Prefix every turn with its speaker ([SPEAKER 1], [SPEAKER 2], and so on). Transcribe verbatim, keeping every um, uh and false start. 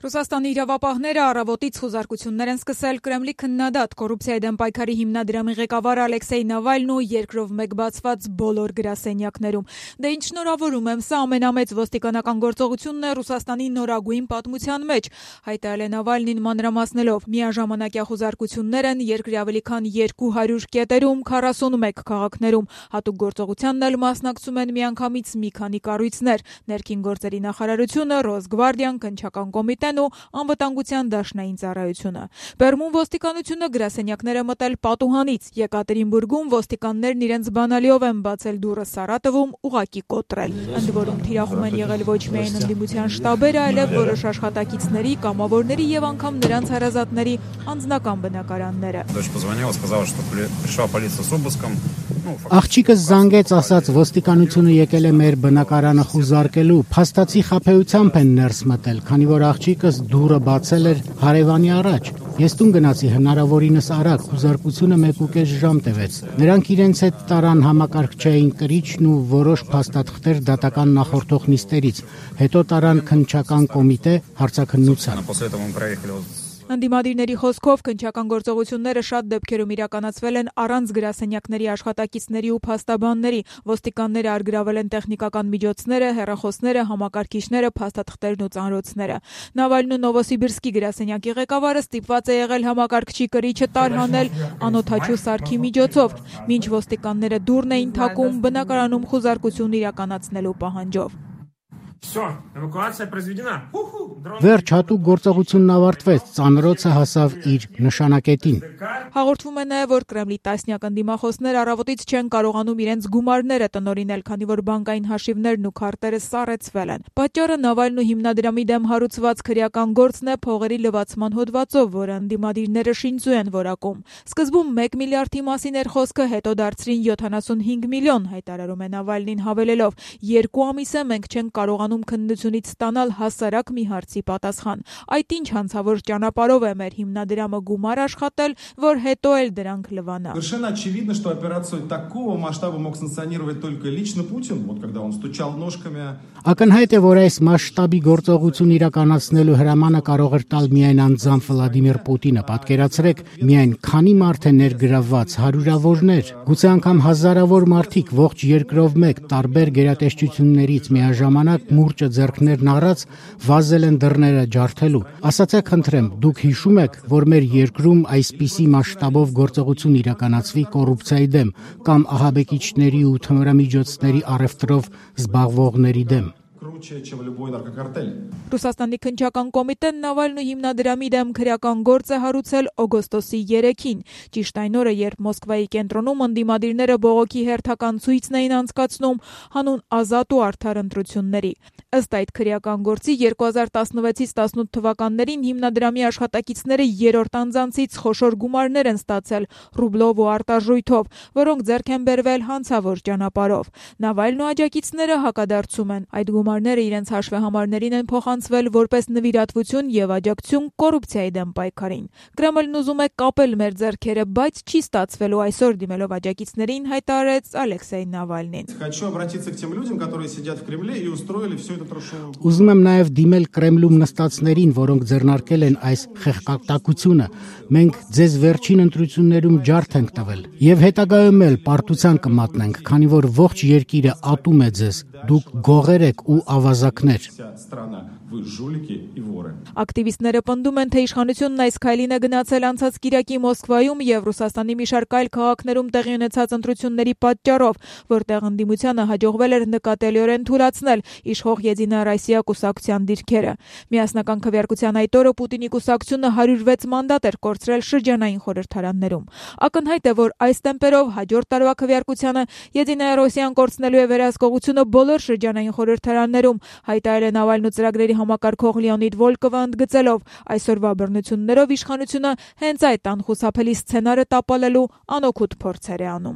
[SPEAKER 1] Ռուսաստանի իրավապահները առավոտից խուզարկություններ են սկսել Կրեմլի քննադատ կոռուպցիայի դեմ պայքարի հիմնադրամի ղեկավար Ալեքսեյ Նավալնին ու երկրով մեկ բացված բոլոր գրասենյակներում։ Դե ինչ շնորհավորում եմ, սա ամենամեծ ոստիկանական գործողությունն է Ռուսաստանի նորագույն պատմության մեջ, հայտարարել է Նավալնին մանրամասնելով. միաժամանակյա խուզարկություններ են երկրի ավելի քան երկու հարյուր կետերում, քառասունմեկ քաղաքներում։ Հատուկ գործողությանն էլ մասնակցում են միանգամից մի քանի կառույցներ՝ ներքին գործերի նախարարությունը, Ռոսգվարդիան, քննչական կոմիտեն ու անվտանգության դաշնային ծառայությունը։ Բերմուն ոստիկանությունը գրասենյակները մտել պատուհանից։ Եկատերինբուրգում ոստիկաններն իրենց բանալիով են բացել դուռը, Սարատովում ուղղակի կոտրել։ Ընդ որում թիրախում են եղել ոչ միայն ընդդիմության շտաբերը, այլև որոշ աշխատակիցների, կամավորների եւ անգամ նրանց հարազատների անձնական բնակարանները։
[SPEAKER 2] Աղջիկս զանգեց, ասաց ոստիկանությունը եկել է մեր բնակարանը խուզարկելու, փաստացի խաբեությամբ են ներս մտել, քանի որ աղջիկս դուռը բացել էր հարևանի առաջ։ Ես տուն գնացի հնարավորինս արագ, խուզարկությունը մեկուկես ժամ տևեց։ Նրանք իրենց հետ տարան համակարգչային կրիչն ու որոշ փաստաթղթեր դատական նախորդող նիստերից, հետո տարան քննչական կոմիտե հարցաքննության։
[SPEAKER 1] Ընդդիմադիրների խոսքով քննչական գործողությունները շատ դեպքերում իրականացվել են առանց գրասենյակների աշխատակիցների ու փաստաբանների։ Ոստիկանները առգրավել են տեխնիկական միջոցները, հեռախոսները, համակարգիչները, փաստաթղթերն ու ծանրոցները։ Նավալնին Նովոսիբիրսկի գրասենյակի ղեկավարը ստիպված է եղել համակարգչի կրիչը տարհանել անօդաչու սարքի միջոցով, մինչ ոստիկանները դուռն էին թակում բնակարանում խուզարկություն իրականացնելու պահանջով։
[SPEAKER 2] Վերջ, հատուկ գործողությունն ավարտվեց, ծանրոցը հասավ իր նշանակետին։
[SPEAKER 1] Հաղորդվում է նաև, որ Կրեմլի տասնյակ ընդդիմախոսներ առավոտից չեն կարողանում իրենց գումարները տնօրինել, քանի որ բանկային հաշիվներն ու քարտերը սառեցվել են։ Պատճառը Նավալնու հիմնադրամի դեմ հարուցված քրեական գործն է փողերի լվացման հոդվածով, որը ընդդիմադիրները շինծու են որակում։ Սկզբում մեկ միլիարդի մասին էր խոսքը, հետո դարձրին յոթանասունհինգ միլիոն, հայտարարում է Նավալնին հավելելով. երկու ամիս է մենք չենք կարողանում քննությունից ստանալ հասարակ մի հարցի պատասխան։ Այդ ինչ հանցավոր ճանապարհով է մեր հիմնադրամը գումար աշխատել, որ հետո էլ դրանք լվանա։
[SPEAKER 3] Совершенно очевидно, что операцию такого масштаба мог санкционировать только лично Путин, вот когда он стучал ножками.
[SPEAKER 2] Ակնհայտ է, որ այս մասշտաբի գործողություն իրականացնելու հրամանը կարող էր տալ միայն անձամբ Վլադիմիր Պուտինը։ Պատկերացրեք, միայն քանի մարդ է ներգրավված, հարյուրավորներ, գուցե անգամ հազարավոր մարդիկ ողջ երկրով մեկ տարբեր գերատեսչություններից միաժամանակ մուրճը ձեռքներն առած վազել են դռները ջարդելու։ Ասացեք խնդրեմ, դուք հիշում եք, որ մեր երկրում այսպիսի մասշտաբով գործողություն իրականացվի կոռուպցիայի դեմ կամ ահաբեկիչների ու թմրամիջոցների առևտրով զբաղվողների դեմ։
[SPEAKER 1] Ռուսաստանի քննչական կոմիտեն Նավալնու հիմնադրամի դեմ քրեական գործ է հարուցել օգոստոսի երեքին, ճիշտ այն օրը, երբ Մոսկվայի կենտրոնում ընդդիմադիրները բողոքի հերթական ցույցն էին անցկացնում հանուն ազատ ու արդար ընտրությունների։ Ըստ այդ քրեական գործի երկու հազար տասնվեցից տասնութ թվականներին հիմնադրամի աշխատակիցները երրորդ անձանցից խոշոր գումարներ են ստացել ռուբլով ու արտարժույթով, որոնք ձեռք են բերվել հանցավոր ճանապարհով։ Նավալնու աջակիցները հակադարձում են, այդ գումարները իրենց հաշվեհամարներին են փոխանցվել որպես նվիրատվություն եւ աջակցություն կոռուպցիայի դեմ պայքարին։ Կրեմլն ուզում է կապել մեր ձեռքերը, բայց չի ստացվելու, այսօր դիմելով աջակիցներին հայտարարեց Ալեքսեյ Նավալնին։
[SPEAKER 2] Ուզում եմ նաև դիմել Կրեմլում նստածներին, որոնք ձեռնարկել են այս խեղճատակությունը։ Մենք ձեզ վերջին ընտրություններում ջարդ ենք տվել եւ հետագայում էլ պարտության կմատնենք, քանի որ ողջ երկիրը ատում է ձեզ։ Դուք գողեր եք ու ավազակներ։
[SPEAKER 1] Ակտիվիստները պնդում են, թե իշխանությունն այս քայլին է գնացել անցած կիրակի Մոսկվայում եւ Ռուսաստանի մի շարք այլ քաղաքներում տեղի ունեցած ընտրությունների պատճառով, որտեղ ընդդիմությանը հաջողվել էր նկատելիորեն թուլացնել իշխող Եդինա Ռոսիա կուսակցության դիրքերը։ Միասնական քվեարկության այդ օրը Պուտինի կուսակցությունը հարյուր վեց մանդատ էր կորցրել շրջանային խորհրդարաններում։ Ակնհայտ է, որ այս տեմպերով հաջորդ տարվա քվեարկությանը Եդինա Ռոսիան կորցնելու է վերահսկողությունը բոլոր շրջանային խորհրդարաններում, հայտարարել է Նավալնու ծրագրերի համակարգող Լեոնիդ Վոլկովը ընդգծելով. այսօրվա բռնություններով իշխանությունը հենց այդ անխուսափելի սցենարը տապալելու անօգուտ փորձեր է անում։